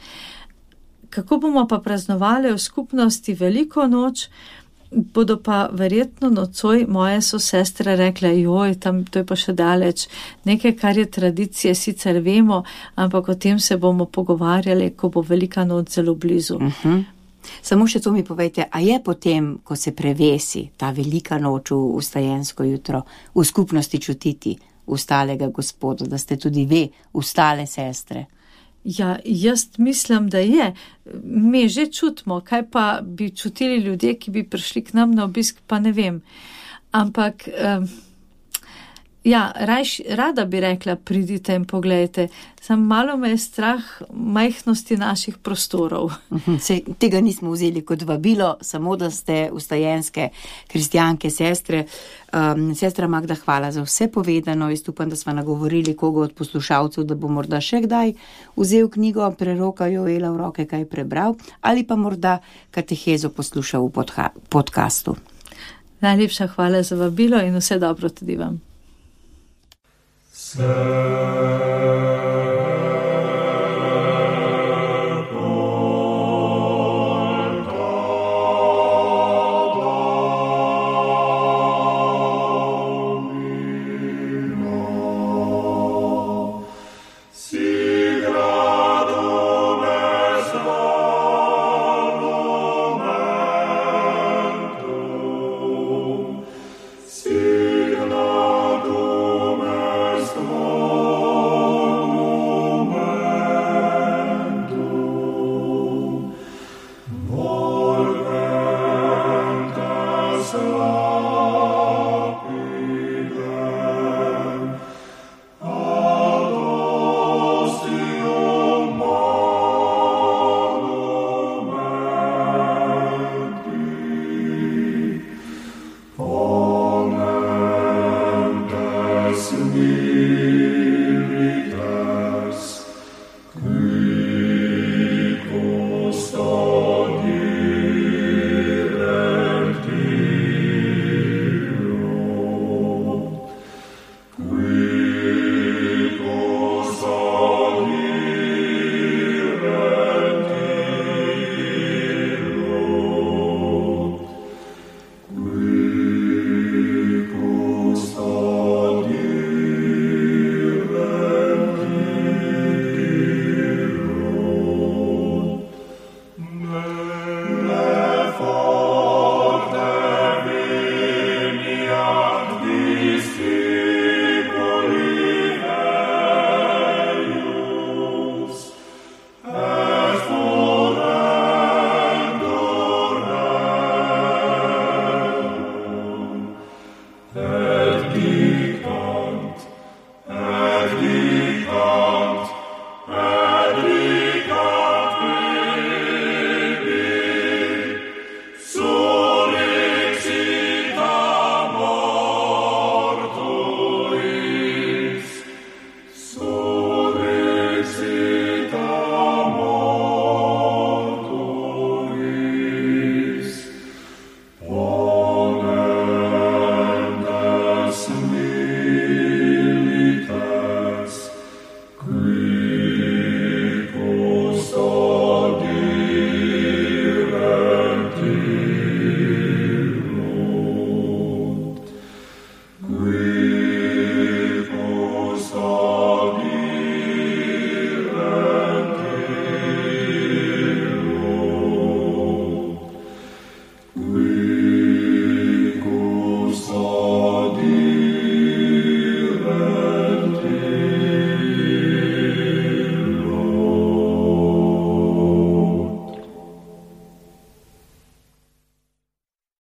Kako bomo pa praznovali v skupnosti veliko noč, bodo pa verjetno nocoj moje sestre rekle, joj, tam to je pa še daleč. Nekaj, kar je tradicije, sicer vemo, ampak o tem se bomo pogovarjali, ko bo velika noč zelo blizu. Samo še to mi povejte, a je potem, ko se prevesi ta velika noč v vstajensko jutro, v skupnosti čutiti ustalega Gospoda, da ste tudi vi ustale sestre? Ja, jaz mislim, da je. Mi že čutimo, kaj pa bi čutili ljudje, ki bi prišli k nam na obisk, pa ne vem. Ampak, ja, rada bi rekla, pridite in pogledajte. Sam malo me je strah majhnosti naših prostorov. Tega nismo vzeli kot vabilo, samo da ste vstajenske kristjanke, sestre. Sestra Magda, hvala za vse povedano. Jaz upam, da smo nagovorili koga od poslušalcev, da bo morda še kdaj vzel knjigo preroka Joela v roke, kaj prebral, ali pa morda katehezo poslušal v podcastu. Najlepša hvala za vabilo in vse dobro tudi vam. Sir.